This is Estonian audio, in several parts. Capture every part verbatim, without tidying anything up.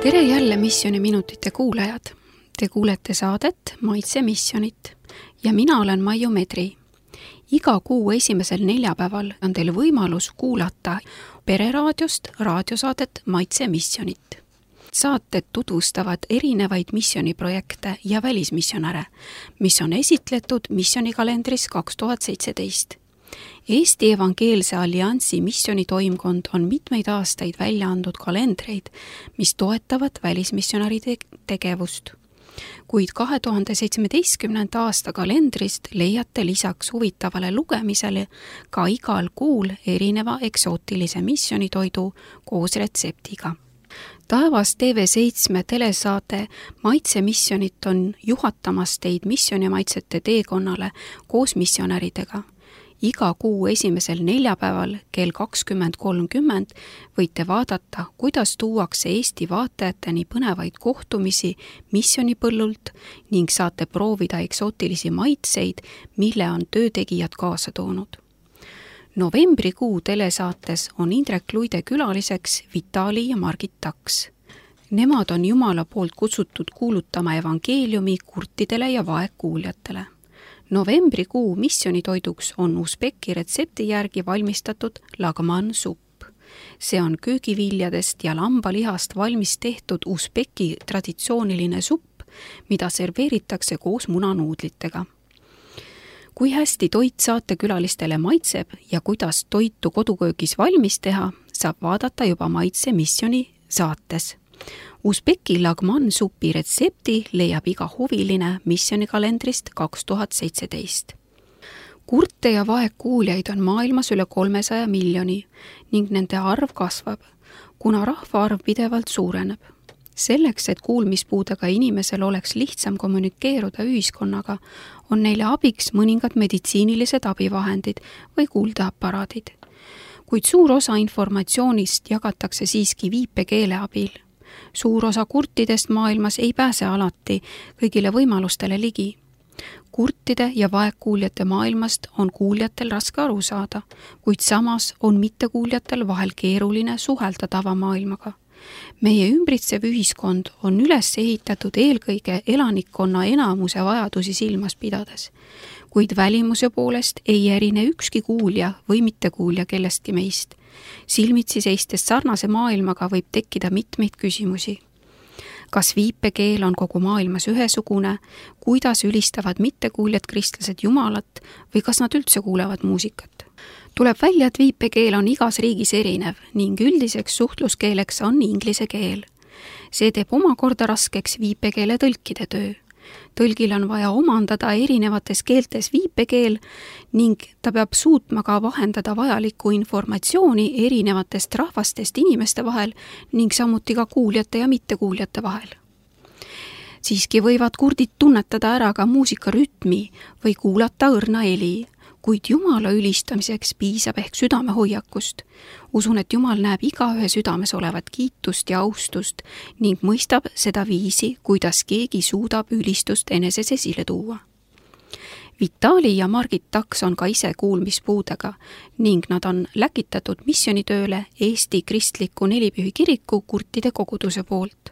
Tere jälle Missiooniminutite kuulajad. Te kuulete saadet Maitse missionit ja mina olen Maiju Medri. Iga kuu esimesel neljapäeval on teil võimalus kuulata pereraadiost raadiosaadet Maitse missionit. Saated tutvustavad erinevaid missioniprojekte ja välismissionäre, mis on esitletud missionikalendris kaks tuhat seitseteist. Eesti Evangeelse Alliansi missionitoimkond on mitmeid aastaid välja andnud kalendreid, mis toetavad välismissionäride tegevust. Kuid kahe tuhande seitsmeteistkümnenda aasta kalendrist leiate lisaks huvitavale lugemisele ka igal kuul erineva eksootilise missionitoidu koos retseptiga. Taevas T V seitse telesaate Maitse missionit on juhatamas teid missionimaitsete teekonnale koos missionäridega. Iga kuu esimesel neljapäeval kell kakskümmend kolmkümmend võite vaadata, kuidas tuuakse Eesti vaatajateni põnevaid kohtumisi missionipõllult ning saate proovida eksootilisi maitseid, mille on töötegijad kaasa toonud. Novembrikuu telesaates on Indrek Luide külaliseks Vitali ja Margit Taks. Nemad on Jumala poolt kutsutud kuulutama evangeeliumi kurtidele ja vaegkuuljatele. Novembrikuu missionitoiduks on Usbeki retsepti järgi valmistatud lagman supp. See on köögiviljadest ja lambalihast valmis tehtud Usbeki traditsiooniline supp, mida serveeritakse koos munanuudlitega. Kui hästi toit saatekülalistele maitseb ja kuidas toitu koduköögis valmis teha, saab vaadata juba Maitse missioni saates. Usbeki lagman supi retsepti leiab iga huviline missionikalendrist kaks tuhat seitseteist. Kurte ja vaegkuuljaid on maailmas üle kolmesaja miljoni ning nende arv kasvab, kuna rahvaarv pidevalt suureneb. Selleks, et kuulmispuudega inimesel oleks lihtsam kommunikeeruda ühiskonnaga, on neile abiks mõningad meditsiinilised abivahendid või kuuldeaparaadid. Kuid suur osa informatsioonist jagatakse siiski viipekeele abil. Suur osa kurtidest maailmas ei pääse alati kõigile võimalustele ligi. Kurtide ja vaegkuuljate maailmast on kuuljatel raske aru saada, kuid samas on mittekuuljatel vahel keeruline suhelda tavamaailmaga. Meie ümbritsev ühiskond on üles ehitatud eelkõige elanikkonna enamuse vajadusi silmas pidades, kuid välimuse poolest ei erine ükski kuulja või mittekuulja kellestki meist. Silmitsi seistes sarnase maailmaga võib tekkida mitmeid küsimusi. Kas viipekeel on kogu maailmas ühesugune, kuidas ülistavad mittekuuljad kristlased Jumalat või kas nad üldse kuulevad muusikat? Tuleb välja, et viipekeel on igas riigis erinev ning üldiseks suhtluskeeleks on inglise keel. See teeb omakorda raskeks viipekeele tõlkide töö. Tõlgil on vaja omandada erinevates keeltes viipekeel ning ta peab suutma ka vahendada vajalikku informatsiooni erinevatest rahvastest inimeste vahel ning samuti ka kuuljate ja mittekuuljate vahel. Siiski võivad kurdid tunnetada ära ka muusika rütmi või kuulata õrna heli, kuid Jumala ülistamiseks piisab ehk südamehoiakust. Usun, et Jumal näeb igaühe südames olevat kiitust ja austust ning mõistab seda viisi, kuidas keegi suudab ülistust eneses esile tuua. Vitali ja Margit Taks on ka ise kuulmispuudega ning nad on läkitatud missionitööle Eesti Kristliku Nelipühi kiriku kurtide koguduse poolt.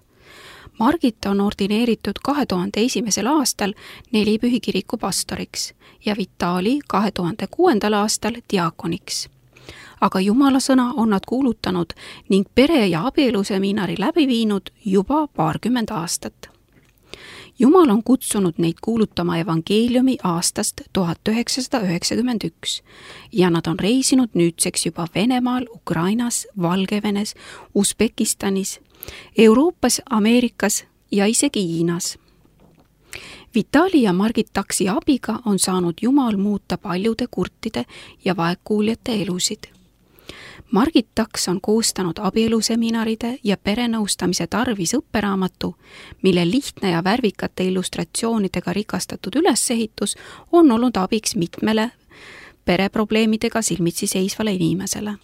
Margit on ordineeritud kahe tuhande esimesel aastal Nelipühi kiriku pastoriks ja Vitali kahe tuhande kuuendal aastal diakoniks. Aga Jumala sõna on nad kuulutanud ning pere- ja abieluseminari läbi viinud juba paarkümmend aastat. Jumal on kutsunud neid kuulutama evangeeliumi aastast tuhat üheksasada üheksakümmend üks ja nad on reisinud nüüdseks juba Venemaal, Ukrainas, Valgevenes, Usbekistanis, Euroopas, Ameerikas ja isegi Hiinas. Vitali ja Margit Taksi abiga on saanud Jumal muuta paljude kurtide ja vaegkuuljate elusid. Margit Taks on koostanud abieluseminaride ja perenõustamise tarvis õpperaamatu, mille lihtne ja värvikate illustratsioonidega rikastatud ülesehitus on olnud abiks mitmele pereprobleemidega silmitsi seisvale inimesele.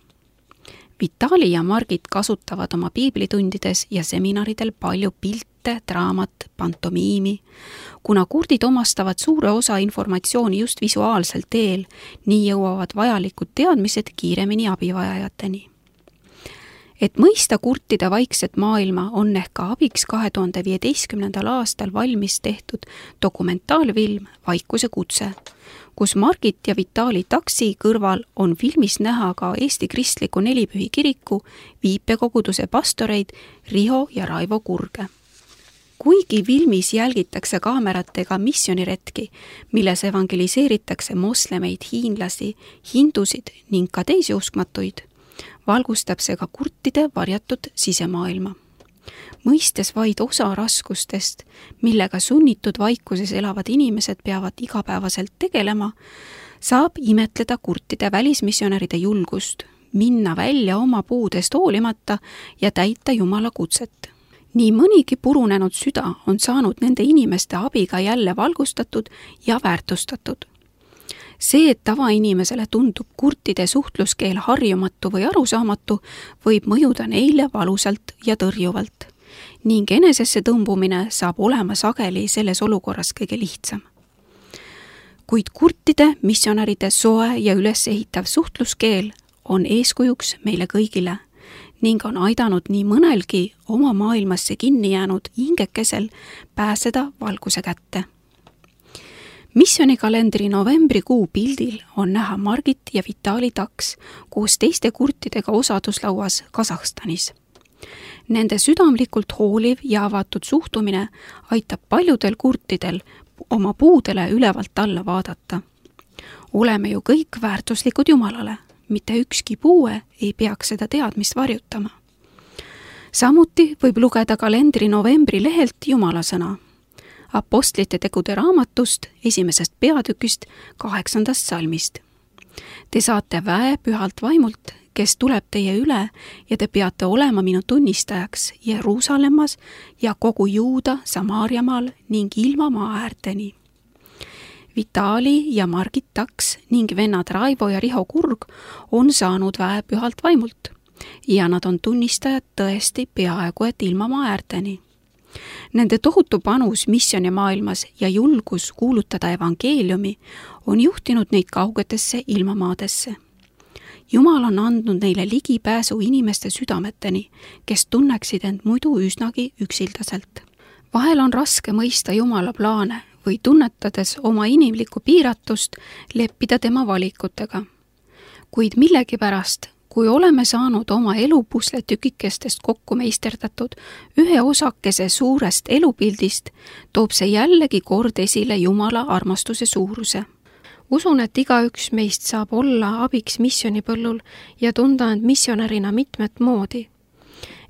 Vitali ja Margit kasutavad oma piiblitundides ja seminaridel palju pilte, draamat, pantomiimi. Kuna kurdid omastavad suure osa informatsiooni just visuaalsel teel, nii jõuavad vajalikud teadmised kiiremini abivajajateni. Et mõista kurtide vaikset maailma, on ehk ka abiks kahe tuhande viieteistkümnendal aastal valmis tehtud dokumentaalfilm Vaikuse kutse, kus Margit ja Vitali Taksi kõrval on filmis näha ka Eesti Kristliku Nelipühi kiriku viipekoguduse pastoreid Riho ja Raivo Kurge. Kuigi filmis jälgitakse kaameratega missioniretki, milles evangeliseeritakse moslemeid, hiinlasi, hindusid ning ka teisi uskmatuid, valgustab see ka kurtide varjatud sisemaailma. Mõistes vaid osa raskustest, millega sunnitud vaikuses elavad inimesed peavad igapäevaselt tegelema, saab imetleda kurtide välismissionäride julgust, minna välja oma puudest hoolimata ja täita Jumala kutset. Nii mõnigi purunenud süda on saanud nende inimeste abiga jälle valgustatud ja väärtustatud. See, et tavainimesele tundub kurtide suhtluskeel harjumatu või arusaamatu, võib mõjuda neile valusalt ja tõrjuvalt ning enesesse tõmbumine saab olema sageli selles olukorras kõige lihtsam. Kuid kurtide missionäride soe ja ülesehitav suhtluskeel on eeskujuks meile kõigile ning on aidanud nii mõnelgi oma maailmasse kinni jäänud hingekesel pääseda valguse kätte. Missionikalendri novembrikuu pildil on näha Margit ja Vitali Taks koos teiste kurtidega osaduslauas Kasahstanis. Nende südamlikult hooliv ja avatud suhtumine aitab paljudel kurtidel oma puudele ülevalt alla vaadata. Oleme ju kõik väärtuslikud Jumalale, mitte ükski puue ei peaks seda teadmist varjutama. Samuti võib lugeda kalendri novembri lehelt Jumala sõna. Apostlite tegude raamatust esimesest peatükist kaheksandast salmist. Te saate väe pühalt vaimult, kes tuleb teie üle ja te peate olema minu tunnistajaks Jeruusalemmas ja kogu Juuda, Samaariamaal ning ilma maaäärteni. Vitali ja Margit Taks ning vennad Raivo ja Riho Kurg on saanud väe pühalt vaimult ja nad on tunnistajad tõesti peaaegu et ilma maaäärteni. Nende tohutu panus missioonimaailmas ja julgus kuulutada evangeeliumi on juhtinud neid kaugetesse ilmamaadesse. Jumal on andnud neile ligipääsu inimeste südameteni, kes tunneksid end muidu üsnagi üksildaselt. Vahel on raske mõista Jumala plaane või tunnetades oma inimlikku piiratust leppida tema valikutega. Kuid millegipärast, kui oleme saanud oma elupusle tükikestest kokku meisterdatud ühe osakese suurest elupildist, toob see jällegi kord esile Jumala armastuse suuruse. Usun, et igaüks meist saab olla abiks missionipõllul ja tunda end missionärina mitmet moodi.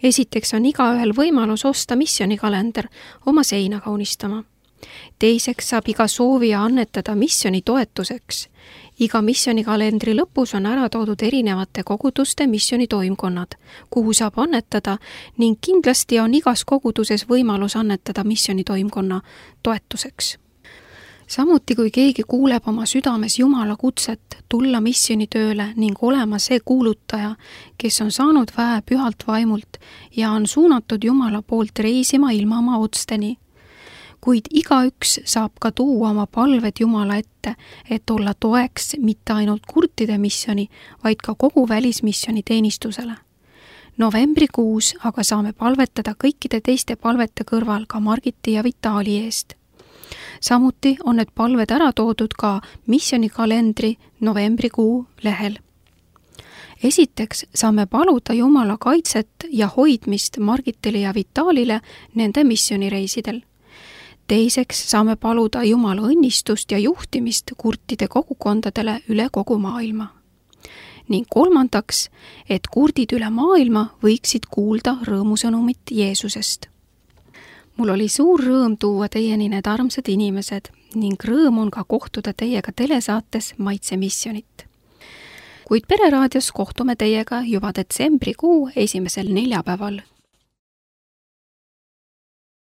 Esiteks on igaühel võimalus osta missionikalender oma seina kaunistama. Teiseks saab iga soovija annetada missioni toetuseks. Iga missionikalendri lõpus on ära toodud erinevate koguduste missionitoimkonnad, kuhu saab annetada ning kindlasti on igas koguduses võimalus annetada missionitoimkonna toetuseks. Samuti kui keegi kuuleb oma südames Jumala kutset tulla missionitööle ning olema see kuulutaja, kes on saanud väe pühalt vaimult ja on suunatud Jumala poolt reisima ilma oma otsteni. Kuid igaüks saab ka tuua oma palved Jumala ette, et olla toeks mitte ainult kurtide missioni, vaid ka kogu välismissioni teenistusele. Novembrikuus aga saame palvetada kõikide teiste palvete kõrval ka Margiti ja Vitali eest. Samuti on need palved ära toodud ka missionikalendri novembrikuu lehel. Esiteks saame paluda Jumala kaitset ja hoidmist Margitile ja Vitalile nende missionireisidel. Teiseks saame paluda Jumala õnnistust ja juhtimist kurtide kogukondadele üle kogu maailma. Ning kolmandaks, et kurdid üle maailma võiksid kuulda rõõmusõnumit Jeesusest. Mul oli suur rõõm tuua teieni need armsad inimesed ning rõõm on ka kohtuda teiega telesaates Maitse missionit. Kuid Pereraadios kohtume teiega juba detsembrikuu esimesel neljapäeval